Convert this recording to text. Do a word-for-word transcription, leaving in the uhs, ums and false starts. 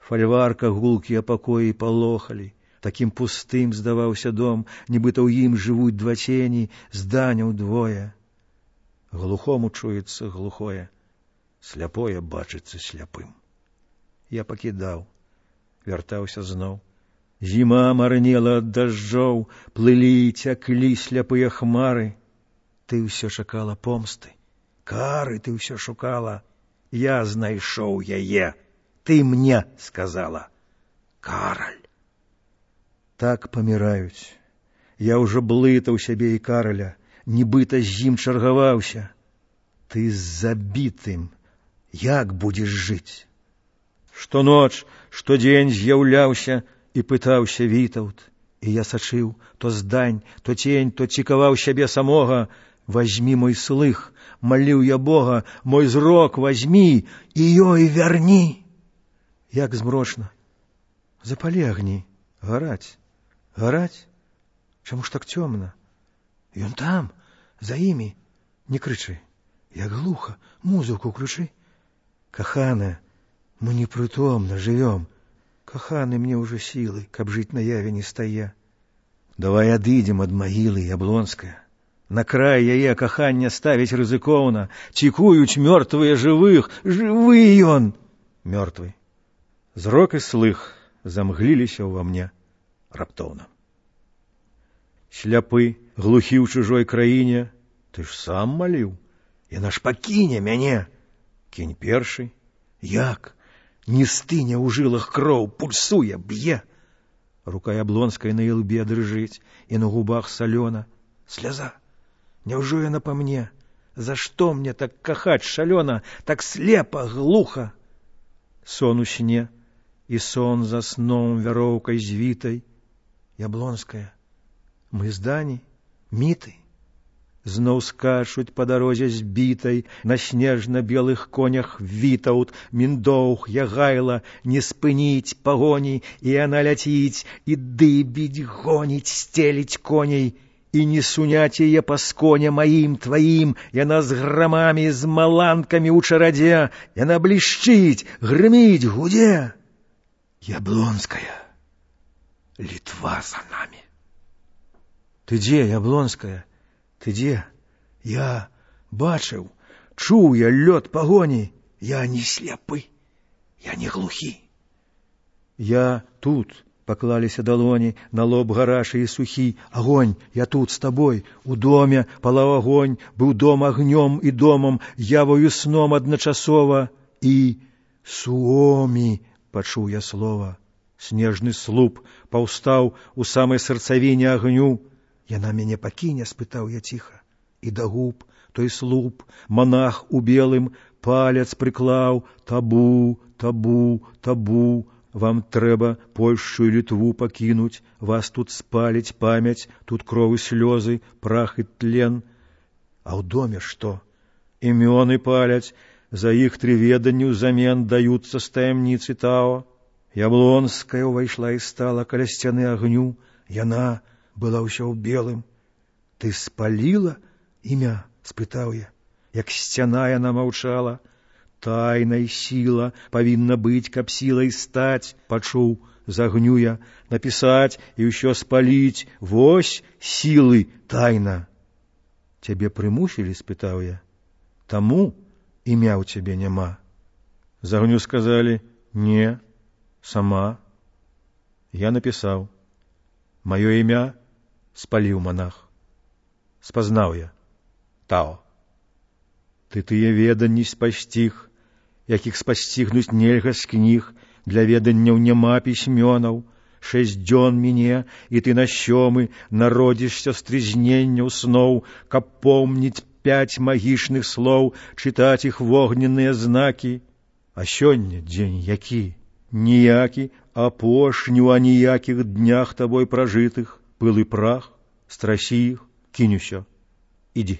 фальварках гулкія пакоі палохалі. Такім пустым здаваўся дом, нібыта ў ім жывуць два цені, зданяў двое. Глухому чуецца глухое, сляпое бачыцца сляпым. Я пакідаў, вяртаўся зноў. Зіма марнела ад дажджоў, плылі і цяклі сляпыя хмары. Ты ўсё чакала помсты, кары ты ўсё шукала. Я знайшоў яе, ты мне сказала: Караль. Так паміраюць. Я ўжо блытаў сябе і Караля, нібыта з ім чаргаваўся. Ты з забітым як будзеш жыць? Штоноч, штодзень з'яўляўся і пытаўся Вітаўт, і я сачыў то здань, то цень, то цікаваў сябе самога. Вазьмі мой слых, маліў я Бога, мой зрок вазьмі і ёй вярні. Як змрочна. Запалі агні, гараць, гараць. Чаму ж так цёмна? Ён там, за імі. Не крычы, як глуха, музыку ключы. Каханая, мы непрытомна жывём. Каханы, мне ўжо сілы, каб жыць на яве не стае. Давай адыдзем ад магілы, Яблонская. На край яе кахання ставіць рызыкоўна. Цікуюць мёртвыя жывых, жывы ён, мёртвы. Зрок і слых замгліліся ўва мне раптоўна. Сляпы, глухі ў чужой краіне, ты ж сам маліў. Яна ж пакіне мяне. Кінь першы. Як? Не стыне ў жылах кроў, пульсуе, б'е. Рука Яблонскай на ілбе дрыжыць, і на губах салёна. Сляза. Няўжо яна па мне? За што мне так кахаць шалёна, так слепа, глуха? Сон у сне, і сон за сном вяроўкай звітай. Яблонская, мы здані, міты. Зноў скачуць па дарозе збітай, на снежна-белых конях Вітаўт, Міндоўг, Ягайла, не спыніць пагоні, і яна ляціць, і дыбіць, гоніць, стеліць коней. І не суняць яе па сконе маім, тваім, яна з грамамі, з маланкамі ў чарадзе, яна блішчыць, грыміць, гудзе. Яблонская, Літва за намі. Ты дзе, Яблонская, ты дзе? Я бачыў, чуў я лёд пагоні, я не сляпы, я не глухі. Я тут. Паклаліся далоні, на лоб гарачы і сухі. Агонь, я тут з табой, у доме палаў агонь, быў дом агнём і домам, явою сном адначасова. І Суомі, пачуў я слова. Снежны слуп паўстаў у самай сэрцавіне агню. Яна мяне пакіне, спытаў я ціха. І да губ той слуп, монах у белым, палец прыклаў. Табу, табу, табу. Вам трэба Польшчу і Літву пакінуць, вас тут спаліць памяць, тут кров і слёзы, прах і тлен. А ў доме што? Імёны паляць, за іх тры веданні ўзамен даюцца з таямніцы Тао. Яблонская ўвайшла і стала каля сцяны агню. Яна была ўсё ў белым. Ты спаліла імя? Спытаў я. Як сцяна яна маўчала. Тайнай сіла павінна быць, каб сілай стаць, пачуў з агню я, напісаць і ўсё спаліць. Вось сілы тайна. Цябе прымусілі, спытаў я. Таму імя ў цябе няма. З агню сказалі: не, сама. Я напісаў. Маё імя спаліў монах. Спазнаў я. Тао. Ты тыя веданні спасціг, якіх спасцігнуць нельга з кніг, для веданняў няма пісьмёнаў. Шэсць дзён міне, і ты на сёмы народзішся з трызненняў сноў, каб помніць пяць магічных слоў, чытаць іх вогненныя знакі. А сёння дзень які? Ніякі, апошні ў аніякіх днях табой пражытых, пыл і прах, страсі іх, кінь усё, ідзі.